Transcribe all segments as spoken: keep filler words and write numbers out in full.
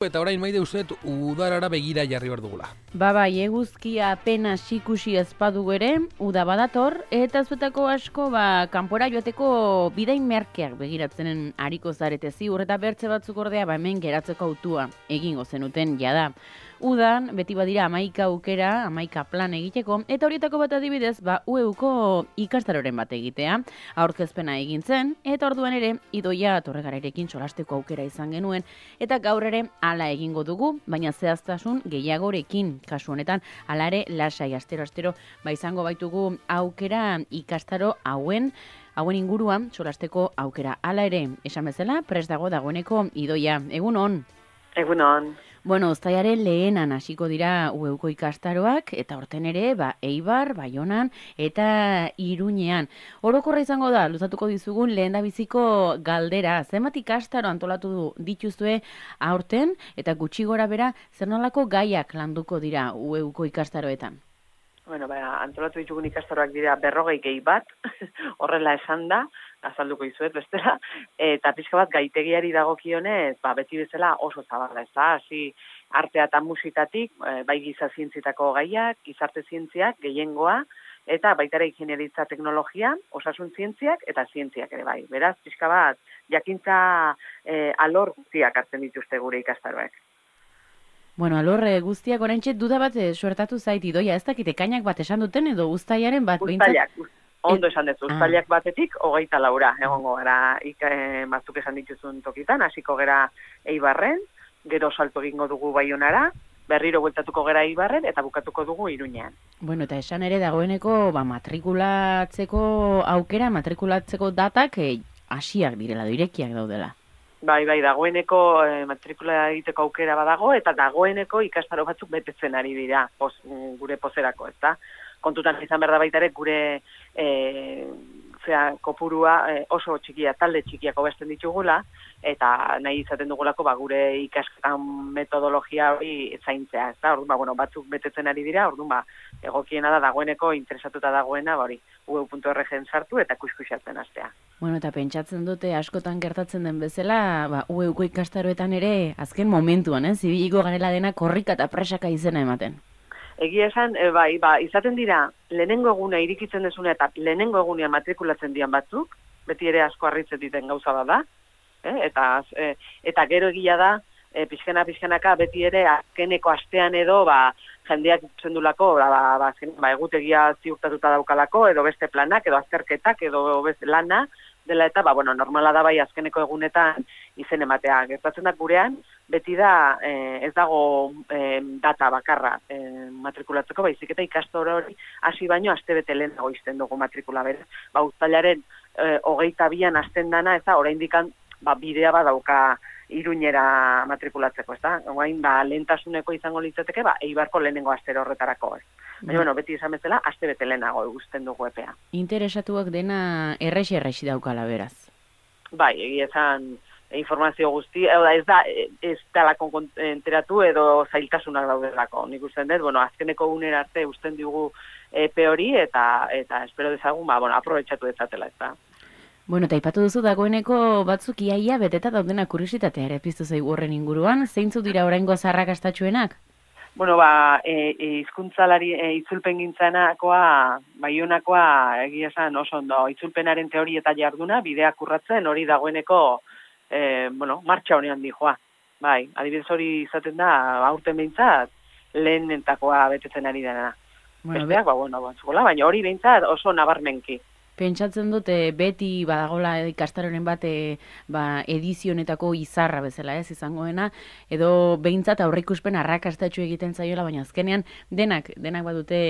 Eta orain maide usteet udarara begira jarri behar dugula. Ba bai, eguzkia apenas ikusi ezpadu ere, uda badator, eta zuetako asko ba, kanpora joateko bidain merkeak begiratzenen ariko zarete ziur, eta bertze batzuk ordea ba, hemen geratzeko autua egingo zenuten jada. Udan, beti badira hamaika aukera, hamaika plan egiteko, eta horietako bat adibidez, ba, U E Uko ikastaroren bat egitea, aurkezpena egin zen, eta orduan ere, Idoia Torregararekin solasteko aukera izan genuen, eta gaur ere hala egingo dugu, baina zehaztasun gehiagorekin, kasu honetan, hala ere lasai astero-astero, ba izango baitugu aukera ikastaro hauen, hauen inguruan solasteko aukera. Hala ere, esan bezala, prest dago dagoeneko Idoia. Egun on? Egun on. Bueno, uztailaren lehenan hasiko dira U E Uko ikastaroak, eta horten ere, ba, Eibar, Baionan eta Iruñean. Orokorra izango da, luzatuko dizugun lehendabiziko galdera. Zenbat ikastaro antolatu du dituzue aurten, eta gutxi gora bera, zer nolako gaiak landuko dira U E Uko ikastaroetan? Bueno, ba, antolatu ditugun ikastaroak dira berrogei gehi bat, horrela esan da, azalduko izuet bestela, eta pixka bat gaitegiari dagokionez, ba, beti bezala oso zabala, ez da, hasi artea eta musikatik, bai giza zientzietako gaiak, gizarte zientziak, gehiengoa, eta baita ere ingeniaritza teknologia, osasun zientziak eta zientziak ere bai. Beraz, pixka bat, jakintza eh, alor guztiak hartzen dituzte gure ikastaroek. Bueno, alor guztiak oraintxe duda bat suertatu zait Idoia, ez dakite kainak bat esan duten edo uztailaren bat? Uztailak, ondo esan dezu, uztailak batetik, hogeita laura, egongo gara, ik, e, batzuk esan dituzun tokitan, hasiko gera Eibarren, gero salto egingo dugu Baionara, berriro bueltatuko gera Eibarren, eta bukatuko dugu Iruñean. Bueno, eta esan ere dagoeneko ba, matrikulatzeko aukera, matrikulatzeko datak hasiak e, direla, irekiak daudela. Bai, bai, dagoeneko e, matrikula egiteko aukera badago, eta dagoeneko ikastaro batzuk betetzen ari dira, poz, gure pozerako, ez da? Kontutan izan behar da baita ere gure e, zera, kopurua e, oso txikia, talde txikiak hobesten ditugula, eta nahi izaten dugulako ba, gure ikasketan metodologia hori zaintzea, ez da? Orduan, ba, bueno, batzuk betetzen ari dira, orduan, ba, egokiena da dagoeneko interesatuta dagoena, ba, hori, u e u puntu org-en sartu eta kuskusatzen hastea. Bueno, eta pentsatzen dute askotan gertatzen den bezala, ba, U E Uko ikastaroetan ere, azken momentuan, eh? Zibiliko garela dena korrika eta presaka izena ematen. Egia esan, e, bai, ba, izaten dira, lehenengo eguna irikitzen desuna eta lehenengo egunean matrikulatzen dian batzuk, beti ere asko harritzen diten gauza bada, eh? eta, e, eta gero egia da, e, pixkena pixkenaka beti ere azkeneko astean edo, ba, jendeak ikutzen dulako, ba, ba, ba, ba, egutegia ziurtatuta daukalako, edo beste planak, edo azterketak, edo beste lana, dela eta, ba, bueno, normala da bai azkeneko egunetan izen ematea. Gertatzen da gurean, beti da eh, ez dago eh, data bakarra eh, matrikulatzeko, baizik eta ikastaro hori hasi baino astebete lehenago izten dugu matrikula bera. Ba, uztailaren eh, hogeita bian hasten dana, ez da, oraindik ba, bidea badauka Iruñera matrikulatzeko, ez da? Orain, ba, lehentasuneko izango litzateke, ba, Eibarko lehenengo astero horretarako, ez. Baina, bueno, beti izan bezala, astebete lehenago eguzten dugu epea. Interesatuak dena errexi-errexi daukala beraz. Bai, egia esan informazio guzti, ez da, ez talako enteratu edo zailtasunak daudelako. Nik usten dut, bueno, azkeneko unera arte usten dugu epe hori, eta, eta espero dezagun, ba, bueno, aprobetxatu dezatela, ez da. Bueno, eta ipatu duzu dagoeneko batzuk iaia beteta daudena kuriositatea ere piztu zaigu horren inguruan, zeintzuk dira oraingo zarrakastatsuenak? Bueno, ba, e, e, izkuntzalari e, itzulpen gintzanakoa, Baionakoa egia esan oso ondo, itzulpenaren teori eta jarduna, bideak urratzen hori dagoeneko, e, bueno, martxa honean dijoa. Bai, adibidez hori izaten da, aurten behintzat, lehenentakoa betetzen ari dena. Bueno, besteak, ba, bueno, batzukola, baina hori behintzat oso nabarmenki. Pentsatzen dute beti badagola ikastaroren bat e, ba, edizionetako izarra bezala ez izangoena, edo behintzat aurreikuspen arrakastatsu egiten zaiola, baina azkenean denak, denak badute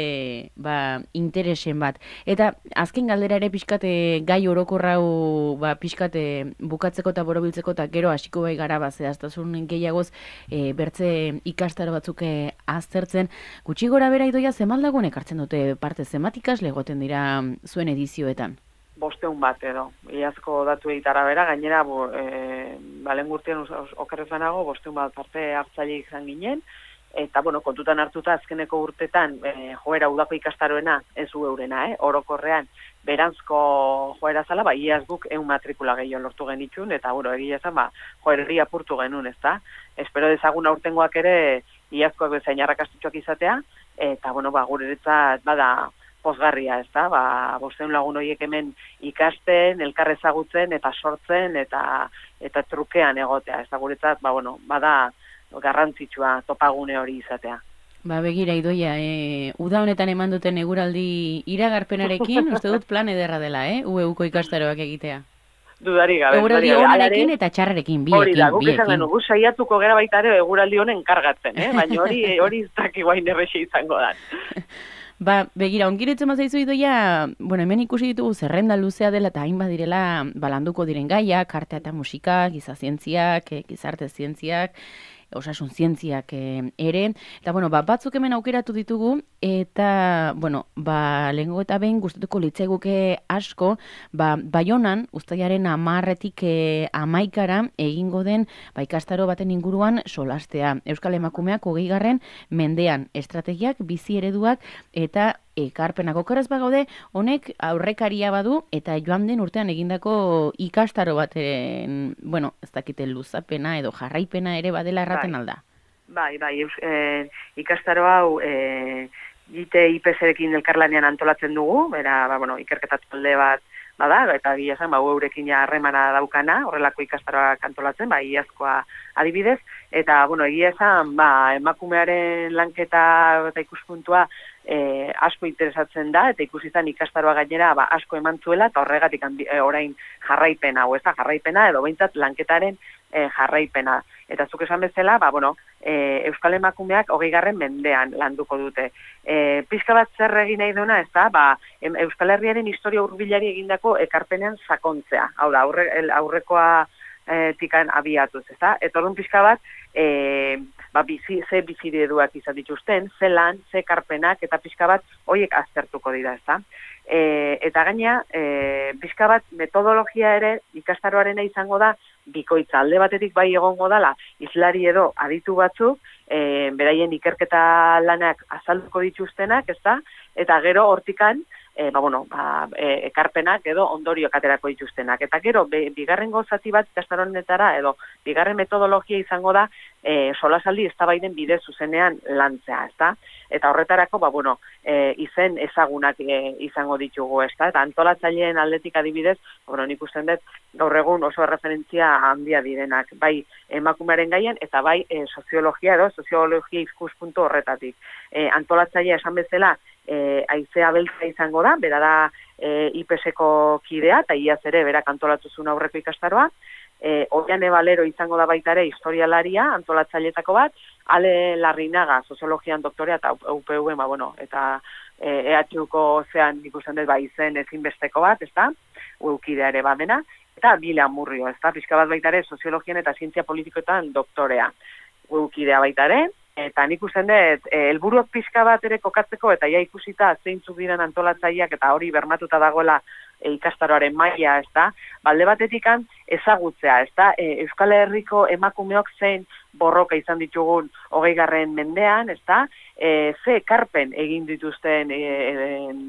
ba, interesen bat. Eta azken galdera ere pixkate gai orokorrau ba, pixkate bukatzeko eta borobiltzeko eta gero hasiko bai gara ba, zehaztasun gehiagoz e, bertze ikastaro batzuk e, aztertzen. Gutxi gora bera Idoia zemaldagoen ekartzen dute parte zenbat ikasle egoten dira zuen edizioetan? Bosteun bat edo, iazko datu egitara bera, gainera, bo, e, balen gurtien okerrezanago, bosteun bat parte hartzaile izan ginen, eta, bueno, kontutan hartuta azkeneko urtetan e, joera udako ikastaroena ez du eurena, eh? Orokorrean, berantzko joera zala, ba, iaz guk eun matrikula gehiago lortu genitxun, eta, bueno, egia ezan, ba, joerri apurtu genuen, ez da? Espero dezagun aurtengoak ere, iazkoak bezain arrakastutxoak izatea, eta, bueno, ba, guretzat, bada, pozgarria, ez da? Ba, bosteun lagun horiek hemen ikasten, elkar ezagutzen, eta sortzen, eta eta trukean egotea, ez da guretzat, ba, bueno, bada, garrantzitsua topagune hori izatea. Ba, begira, Idoia, e, uda honetan eman duten eguraldi iragarpenarekin, uste dut plan ederra dela, eh? U E Uko ikastaroak egitea. Dudari gabe. Eguraldi honarekin eta txarrarekin, biekin, hori da, guk biekin. esan genuen, gu saiatuko gara baita ere eguraldi honen kargatzen, eh? Baina hori hori ez daki guain errexe izango da. Ba, begira, ongiretzen mazaizu Idoia, bueno, hemen ikusi ditugu zerrenda luzea dela eta hainbat direla balanduko diren gaiak, artea eta musika, giza zientziak, gizarte zientziak, osasun zientziak e, ere, eta bueno, ba, batzuk hemen aukeratu ditugu, eta, bueno, ba, lehengo eta behin gustatuko litzaiguke asko, ba, Baionan, uztailaren amarretik e, amaikara egingo den, ba, ikastaro baten inguruan solastea. Euskal Emakumeak hogeigarren mendean estrategiak, bizi ereduak, eta ekarpenak okeraz bagaude, honek aurrekaria badu, eta joan den urtean egindako ikastaro baten, bueno, ez dakite luzapena edo jarraipena ere badela erraten alda. Bai, bai, e, ikastaro hau e, J T I P S-ekin elkarlanean antolatzen dugu, bera, ba, bueno, ikerketa talde bat bada, eta gila zen, ba, eurekin harremana daukana, horrelako ikastaroak antolatzen, ba, iazkoa adibidez, eta, bueno, egia esan, ba, emakumearen lanketa eta ikuspuntua e, asko interesatzen da, eta ikusi zen ikastaroa gainera, ba, asko eman zuela, eta horregatik e, orain jarraipena, hau ez da, jarraipena, edo behintzat lanketaren e, jarraipena. Eta zuk esan bezala, ba, bueno, e, Euskal Emakumeak hogeigarren mendean landuko dute. E, pixka bat zer egin nahi duena, ez da, ba, Euskal Herriaren historia hurbilari egindako ekarpenean sakontzea. Hau da, aurre, aurrekoa e, tikan abiatuz, ez da? Eta orduan pixka bat, e, ba, bizi, ze bizireduak izan dituzten, ze lan, ze ekarpenak, eta pixka bat horiek aztertuko dira, ez da? E, eta gaina, e, pixka bat metodologia ere ikastaroarena izango da, bikoitza alde batetik bai egongo dala, izlari edo aditu batzuk, e, beraien ikerketa lanak azalduko dituztenak, ez da? Eta gero hortikan, e, ba, bueno, ba, e, ekarpenak edo ondorioak aterako dituztenak. Eta gero, be, bigarren gozati bat ikastaronetara, edo bigarren metodologia izango da, e, solasaldi eztabaiden bide zuzenean lantzea, ez da? Eta horretarako, ba, bueno, e, izen ezagunak e, izango ditugu, ez da? Eta antolatzaileen aldetik adibidez, bueno, nik usten dut, gaur egun oso referentzia handia direnak, bai emakumearen gaien, eta bai e, soziologia edo soziologia ikuspuntu horretatik. E, antolatzailea esan bezala, e, Aizea Beltza izango da, bera da e, I P S-eko kidea, eta iaz ere berak antolatuzun aurreko ikastaroa, e, Oiane Balero izango da baita ere historialaria, antolatzailetako bat, Ale Larrinaga, soziologian doktorea, eta U P U, ba, bueno, eta E H Uko zean ikusten dut, ba, izen ezinbesteko bat, ez da, U kidea ere badena, eta Bile Amurrio, ez da, pixka bat baita ere, soziologian eta zientzia politikoetan doktorea, U kidea baita ere, eta nik usten dut, helburuak pixka bat ere kokatzeko, eta ja ikusita zeintzuk diren antolatzaileak, eta hori bermatuta dagoela e, ikastaroaren maila, ez da, balde batetikan ezagutzea, ez da, e, Euskal Herriko emakumeok zein borroka izan ditugun hogeigarren mendean, ez da, e, ze ekarpen egin dituzten e, e,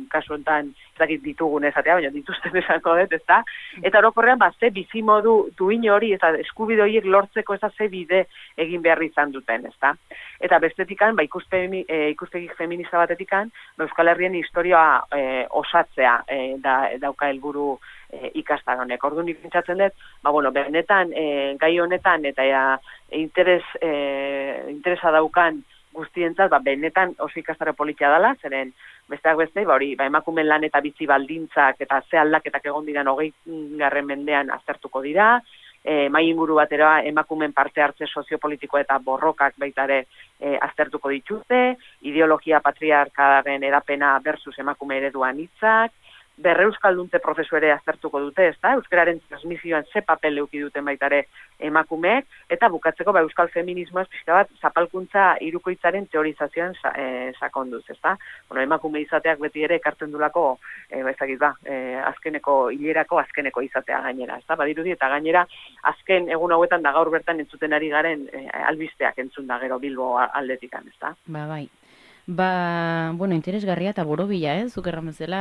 kasu enten, ez dakit ditugun ezatea, baina dituzten esango dut, ez da, eta orokorrean, ba, ze bizimodu duin hori, eta eskubide horiek lortzeko ez da ze bide egin behar izan duten, ez da. Eta bestetikan, ba, ikuspegi, e, ikuspegi feminista batetikan, ba, Euskal Herrien historia e, osatzea e, da, dauka helburu e, ikastaronek. Orduan nik pentsatzen dut, ba, bueno, benetan, e, gai honetan, eta ja, interes, e, interesa daukan guztientzat, ba, benetan oso ikastaro politia dela, zeren besteak beste, ba, hori, ba, emakumen lan eta bizi baldintzak eta ze aldaketak egon diran hogei garren mendean aztertuko dira, e, mai inguru batera emakumen parte hartze soziopolitikoa eta borrokak baita ere e, aztertuko dituzte, ideologia patriarkaren edapena versus emakume ereduan hitzak, berreuskalduntze prozesu ere aztertuko dute, ezta? Euskararen transmisioan ze papel eduki duten baita ere emakumeek, eta bukatzeko ba, euskal feminismoaz pixka bat zapalkuntza hirukoitzaren teorizazioan sa, e, sakonduz, ezta? Bueno, emakume izateak beti ere ekartzen dulako, e, ba, ezagik ba, e, azkeneko hilerako azkeneko izatea gainera, ezta? Badirudi eta gainera azken egun hauetan da gaur bertan entzuten ari garen e, albisteak entzun da gero Bilbo aldetikan, ezta? Ba, bai. Ba, bueno, interesgarria eta borobila, eh? Zuk erran bezala,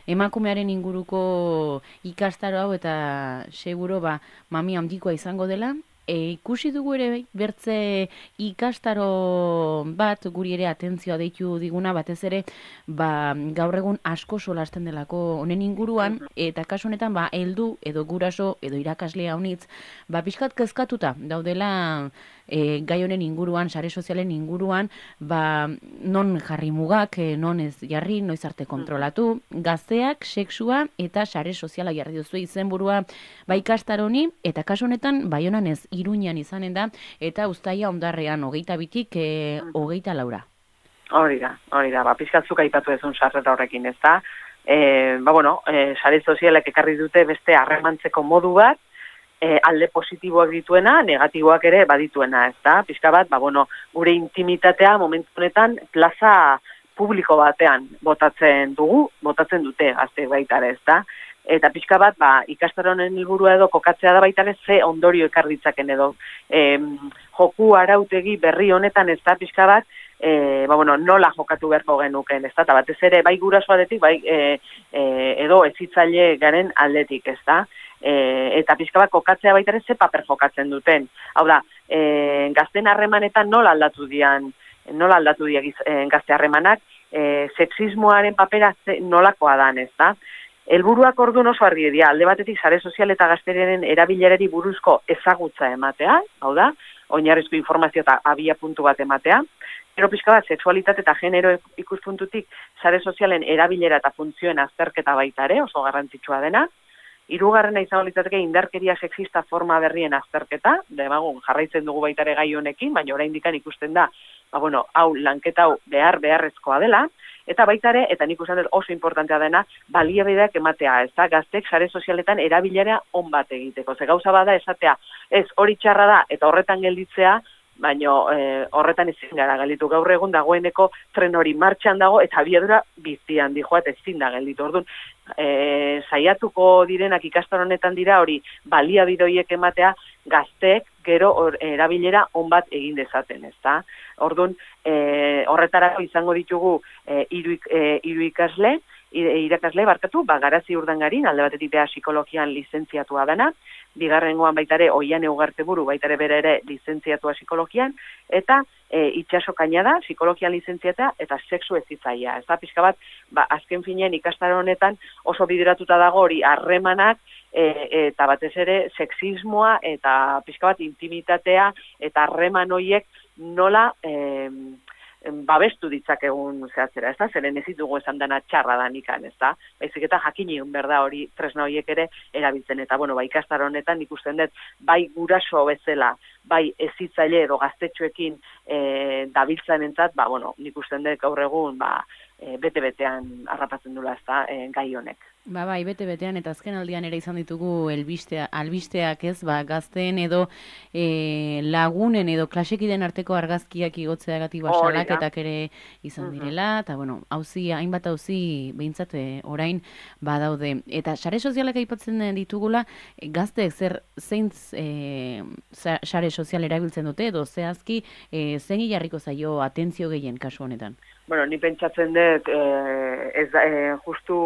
emakumearen inguruko ikastaro hau eta seguro ba, mami handikoa izango dela. E, ikusi dugu ere bertze ikastaro bat guri ere atentzioa deitu diguna, batez ere ba, gaur egun asko solasten delako honen inguruan, eta kasu honetan ba, heldu edo guraso edo irakaslea honitz, ba, pixkat kezkatuta daudela e, gai honen inguruan, sare sozialen inguruan, ba, non jarri mugak, e, non ez jarri, noiz arte kontrolatu, gazteak, sexua eta sare soziala jarri duzu izenburua ba, ikastaroni, eta kasu honetan Baionan ez Iruñan izanen da, eta Uztaia Hondarrean hogeita bitik e, hogeita laura. Hori da, hori da, ba, pizkatzuk aipatu ezun sarreta horrekin, ez da. E, ba, bueno, e, sare sozialek ekarri dute beste harremantzeko modu bat, e, alde positiboak dituena, negatiboak ere badituena, ez da. Pizka bat, ba, bueno, gure intimitatea momentu honetan plaza publiko batean botatzen dugu, botatzen dute gazte baita ere, ez da. Eta pixka bat, ba, ikastaronen helburua edo kokatzea da baita ere ze ondorio ekar ditzaken edo. E, joku arautegi berri honetan ez da pixka bat, e, ba, bueno, nola jokatu beharko genuken, ez da, eta batez ere bai guraso aldetik, bai e, e, edo ezitzaile garen aldetik, ez da. E, eta pixka bat kokatzea baita ere ze paper jokatzen duten. Hau da, e, gazten harremanetan nola aldatu dian, nola aldatu dian e, gazte harremanak, e, sexismoaren papera ze, nolakoa dan, ez da. Helburuak orduan oso argi dira, alde batetik sare sozial eta gazteriaren erabilerari buruzko ezagutza ematea, hau da, oinarrizko informazio eta abia puntu bat ematea, gero pixka bat, sexualitate eta genero ikuspuntutik sare sozialen erabilera eta funtzioen azterketa baita ere, oso garrantzitsua dena, hirugarrena izango litzateke indarkeria sexista forma berrien azterketa, demagun jarraitzen dugu baita ere gai honekin, baina oraindik ikusten da, ba, bueno, hau lanketa hau behar beharrezkoa dela, eta baita ere, eta nik usan dut oso importantea dena, baliabideak ematea, ez da, gaztek sare sozialetan erabilera on bat egiteko. Ze gauza bada esatea, ez hori txarra da, eta horretan gelditzea, baina e, horretan ezin gara gelditu. Gaur egun dagoeneko tren hori martxan dago, eta abiadura bizian dijoa, eta ezin da gelditu. Orduan, e, saiatuko direnak ikastar honetan dira, hori baliabide horiek ematea, gazteek gero or, erabilera on bat egin dezaten, ez da? Orduan, e, horretarako izango ditugu e, hiru e, hiru ikasle, irakasle barkatu, ba, Garazi Urdangarin, alde batetik beha psikologian lizentziatua dana, bigarrengoan baitare Oiane Ugarteburu baitare bere ere lizentziatua psikologian, eta e, Itxaso Kainada, psikologian lizentziata eta sexu ezitzaia. Ez da, pixka bat, ba, azken finean ikastaro honetan oso bideratuta dago hori harremanak, e, eta batez ere sexismoa eta pixka bat intimitatea eta harreman horiek nola e, babestu ditzakegun zehatzera, ez da? Zeren ez ditugu esan dana txarra da nikan, ez da? Baizik eta jakin egun berda hori tresna horiek ere erabiltzen, eta bueno, bai ikastar honetan ikusten dut, bai guraso bezala, bai ezitzaile edo gaztetxoekin e, dabiltzen entzat, ba, bueno, nik usten dut gaur egun, ba, e, bete-betean harrapatzen dula, ez da, e, gai honek. Ba, bai, bete-betean eta azken aldian ere izan ditugu elbistea, albisteak ez, ba, gazteen edo e, lagunen edo klasekiden arteko argazkiak igotzeagatik basalaketak ere izan direla, eta bueno, hauzi, hainbat hauzi behintzat orain badaude. Eta sare sozialak aipatzen ditugula, gazteek zer zeintz e, sare sozial erabiltzen dute, edo zehazki e, zein jarriko zaio atentzio gehien kasu honetan? Bueno, ni pentsatzen dut, eh, ez da, eh, justu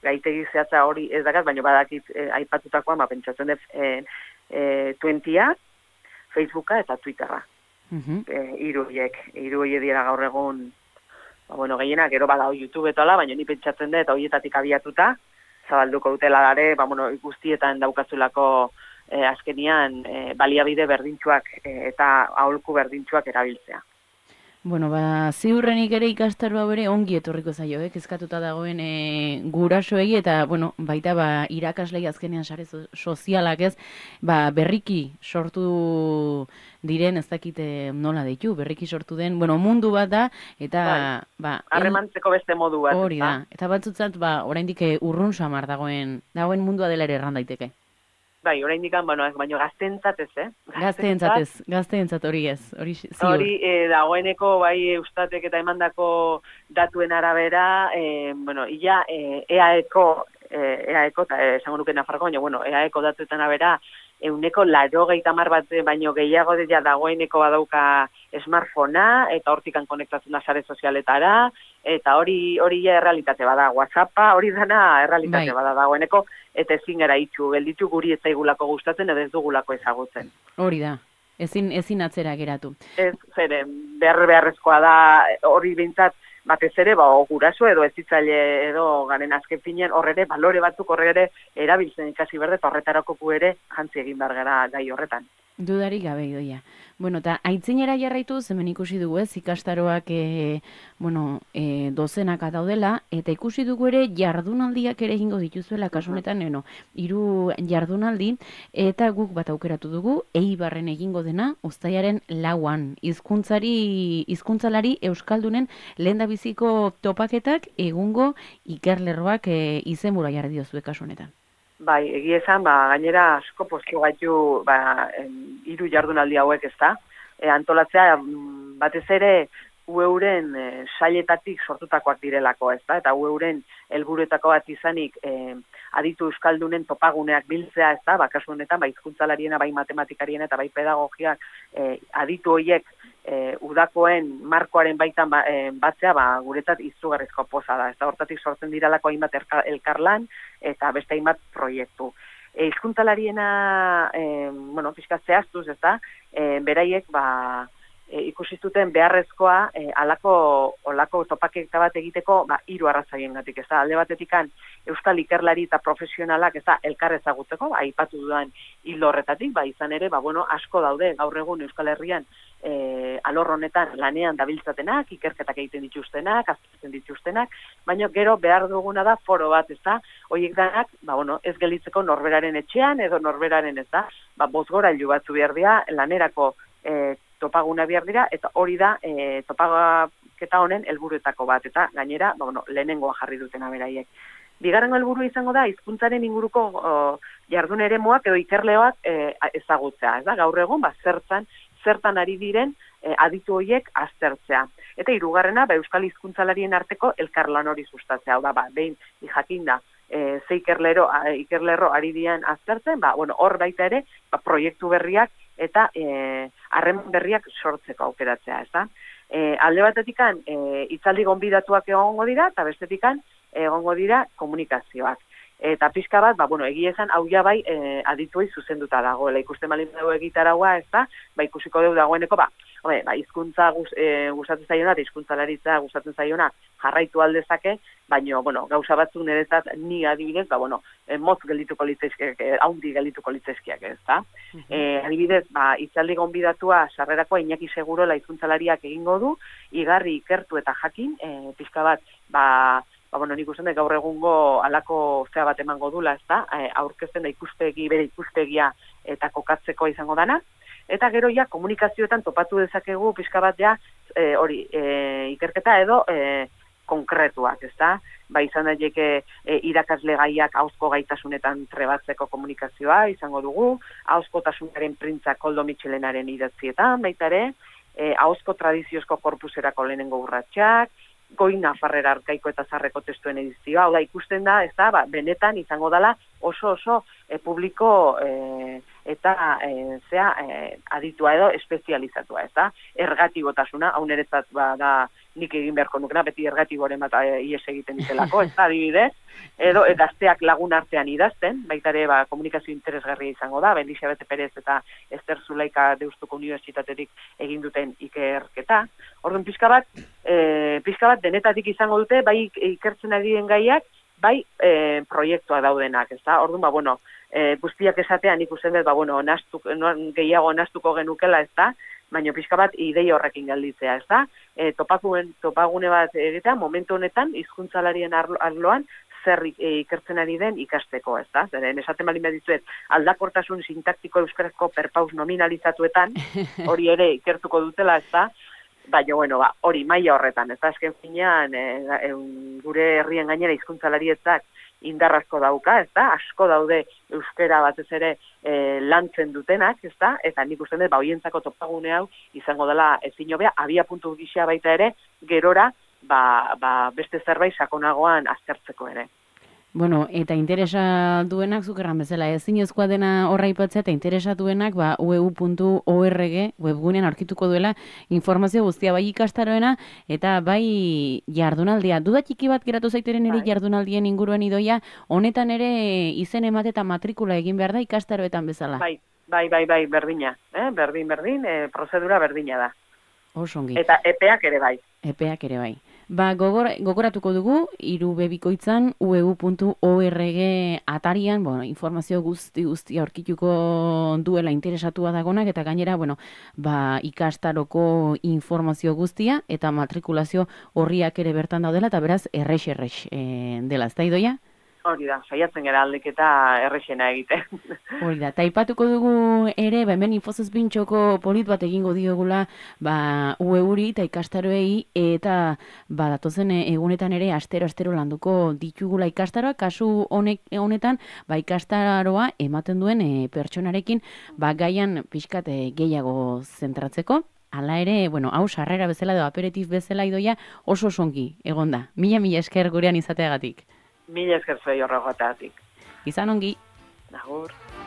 gaitegi zehatza hori ez dakat, baina badakit eh, aipatutakoa, ma pentsatzen dut eh, eh, twenty-a, Facebooka eta Twitterra. Uh-huh. eh, iruiek, iruiek dira gaur egun, ba, bueno, gehienak, gero badao YouTube eta ala, baina ni pentsatzen dut, horietatik abiatuta, zabalduko dutela dare, ba, bueno, guztietan daukazulako eh, azkenian eh, baliabide berdintxuak eh, eta aholku berdintxuak erabiltzea. Bueno, ba, ziurrenik ere ikastaroa bere ongi etorriko zaio, eh? Kezkatuta dagoen e, gurasoei eta, bueno, baita ba, irakaslei azkenean sare so- sozialak ez, ba, berriki sortu diren, ez dakite nola deitu, berriki sortu den, bueno, mundu bat da, eta, Bai. ba, el- Harremantzeko beste modu bat. hori ezta? da, eta batzutzat, ba, oraindik eh, urrun samar dagoen, dagoen mundua dela ere erran daiteke. Bai, oraindik bueno, baino gazteentzat ez, eh? Gazteentzat ez, gazteentzat hori ez, hori ziur. Hori, e, dagoeneko, bai, Eustatek eta emandako datuen arabera, e, bueno, ia, e, EAEko, e, EAEko, eta e, esango nuke Nafarroko, baina, bueno, EAEko datuetan arabera, euneko laro gehitamar bat baino gehiago dira dagoeneko badauka smartphonea, eta hortikan konektatzen da sare sozialetara, eta hori hori ja errealitate bada, WhatsAppa hori dana errealitate Bai. bada dagoeneko, eta ezin gara itxu, gelditu guri ez zaigulako gustatzen, edo ez dugulako ezagutzen. Hori da, ezin, ezin atzera geratu. Ez, zeren, behar beharrezkoa da, hori behintzat, batez ere, ba, o guraso edo ezitzaile edo garen azken finean, horre ere, balore batzuk horre ere, erabiltzen ikasi berde, eta horretarako gu ere, jantzi egin behar gara gai horretan. Dudarik gabe idoia. Bueno, eta aitzinera jarraitu, hemen ikusi dugu ez, ikastaroak e, bueno, e, dozenaka daudela, eta ikusi dugu ere jardunaldiak ere egingo dituzuela, kasu honetan, eno, hiru jardunaldi, eta guk bat aukeratu dugu, Eibarren egingo dena, uztailaren lauan, hizkuntzari, hizkuntzalari euskaldunen lehendabiziko topaketak egungo ikerlerroak e, izenbura jarri diozue kasu honetan. Bai, egia esan, ba, gainera asko postu gaitu ba, hiru jardunaldi hauek ez da. E, antolatzea, batez ere, ueuren e, sailetatik sortutakoak direlako ez da, eta ueuren helburuetako bat izanik e, aditu euskaldunen topaguneak biltzea ez da, ba, kasu honetan, bai hizkuntzalarien, bai matematikariena eta bai pedagogiak e, aditu horiek e, udakoen markoaren baitan ba, e, batzea, ba, guretzat izugarrizko poza da. Ez da, hortatik sortzen diralako hainbat elkarlan eta beste hainbat proiektu. E, hizkuntzalariena, e, bueno, pixka zehaztuz, ez da, e, beraiek, ba, e, ikusi zuten beharrezkoa e, alako, olako topaketa bat egiteko, ba, hiru arrazoiengatik, ez da, alde batetikan euskal ikerlari eta profesionalak, ez da, elkar ezagutzeko, ba, aipatu dudan hildo horretatik, ba, izan ere, ba, bueno, asko daude gaur egun Euskal Herrian e, alor honetan lanean dabiltzatenak, ikerketak egiten dituztenak, aztertzen dituztenak, baina gero behar duguna da foro bat, ez da, horiek danak, ba, bueno, ez gelitzeko norberaren etxean edo norberaren, ez da, ba, bozgorailu batzu behar dira, lanerako e, topaguna behar dira, eta hori da e, topaketa honen helburuetako bat, eta gainera, ba, bueno, lehenengoa jarri dutena beraiek. Bigarrengo helburu izango da, hizkuntzaren inguruko o, jardun eremuak edo ikerleoak e, ezagutzea, ez da, gaur egun, ba, zertan, zertan ari diren e, aditu horiek aztertzea. Eta hirugarrena, ba, euskal hizkuntzalarien arteko elkarlan hori sustatzea, hau da, ba, behin jakinda, e, ze ikerlero, a, ikerlerro ari dian aztertzen, ba, bueno, hor baita ere, ba, proiektu berriak eta harreman e, berriak sortzeko aukeratzea, ez da. E, alde batetikan, e, itzaldi gonbidatuak egongo dira, eta bestetikan, egongo dira komunikazioak. Eta pixka bat, ba, bueno, egia esan, hau ja bai e, adituei zuzenduta dagoela. Ikusten balin dugu egitaragua, ez da, ba, ikusiko dugu dagoeneko, ba, home, ba, hizkuntza guz, e, gustatzen zaiona, eta hizkuntzalaritza gustatzen zaiona jarraitu aldezake, baina, bueno, gauza batzuk niretzat ni adibidez, ba, bueno, e, motz geldituko litezkiak, e, haundi geldituko litezkiak, ez da. Uh-huh. E, adibidez, ba, itzaldi gonbidatua sarrerako Iñaki Segurola hizkuntzalariak egingo du, igarri ikertu eta jakin, e, pixka bat, ba, ba, bueno, nik usten da gaur egungo alako zea bat emango dula, ez da, e, aurkezten da ikuspegi, bere ikuspegia eta kokatzeko izango dana, eta gero ja komunikazioetan topatu dezakegu pixka bat ja, e, hori, e, ikerketa edo e, konkretuak, ez da, ba, izan daiteke e, irakasle gaiak ahozko gaitasunetan trebatzeko komunikazioa izango dugu, ahozkotasunaren printza Koldo Mitxelenaren idatzietan, baita ere, e, ahozko tradiziozko korpuserako lehenengo urratsak, Goi Nafarrera arkaiko eta zarreko testuen edizioa, hau da ikusten da, ez da, ba, benetan izango dela oso oso e, publiko e, eta e, zea e, aditua edo espezializatua, ez da, ergatibotasuna, hau niretzat ba, da nik egin beharko nukena, beti ergatiboren bat e, ies egiten ditelako, ez da, adibidez, edo e, gazteak lagun artean idazten, baita ere ba, komunikazio interesgarria izango da, Elizabete Perez eta Ester Zulaika Deustuko Unibertsitatetik egin duten ikerketa. Orduan pixka bat, e, pixka bat denetatik izango dute, bai ikertzen ari den gaiak, bai e, proiektua daudenak, ez da? Orduan, ba, bueno, e, guztiak esatean ikusten dut, ba, bueno, nastu, no, gehiago nastuko genukela, ez da? baina pixka bat idei horrekin gelditzea, ez da? E, topakuen, topagune bat egitea, momentu honetan, hizkuntzalarien arloan, zer ikertzen ari den ikasteko, ez da? Zeren, esaten bali medizuet, aldakortasun sintaktiko euskarazko perpaus nominalizatuetan, hori ere ikertuko dutela, ez da? Baina, bueno, ba, hori maila horretan, ez da? Azken finean, e, e, gure herrien gainera hizkuntzalarietzak indarrazko dauka, ez da? Asko daude euskera batez ere e, lantzen dutenak, ez da? Eta nik uste dut, ba, hoientzako topagune hau izango dela ezin hobea, abia puntu gisa baita ere, gerora, ba, ba, beste zerbait sakonagoan aztertzeko ere. Bueno, eta interesa duenak, zukerran bezala, ezinezkoa dena horra ipatzea, eta interesa duenak, ba, u e u puntu org webgunean aurkituko duela informazio guztia, bai ikastaroena, eta bai jardunaldia. Duda txiki bat geratu zaiteren ere jardunaldien inguruan idoia, honetan ere izen emate eta matrikula egin behar da ikastaroetan bezala. Bai, bai, bai, bai, berdina, eh? berdin, berdin, e, prozedura berdina da. Osongi. Eta epeak ere bai. Epeak ere bai. Ba, gogor, gogoratuko dugu, hiru bebikoitzan, u e u puntu org atarian, bueno, informazio guzti guzti aurkituko duela interesatua dagonak, eta gainera, bueno, ba, ikastaroko informazio guztia, eta matrikulazio horriak ere bertan daudela, eta beraz, errex-errex e, dela, ez da idoia? Hori da, saiatzen gara aldeketa errexena egite. Hori da, eta aipatuko dugu ere, ba, hemen infozuz bintxoko polit bat egingo diogula, ba, U E uri eta ikastaroei, eta ba, datozen egunetan ere astero-astero landuko ditugula ikastaroa, kasu honek, honetan, ba, ikastaroa ematen duen e, pertsonarekin, ba, gaian pixkat e, gehiago zentratzeko. Hala ere, bueno, hau sarrera bezala edo aperitif bezala idoia oso songi, egonda. Mila mila esker gurean izateagatik. Mila esker zuei horregoetatik. Izan ongi. Agur.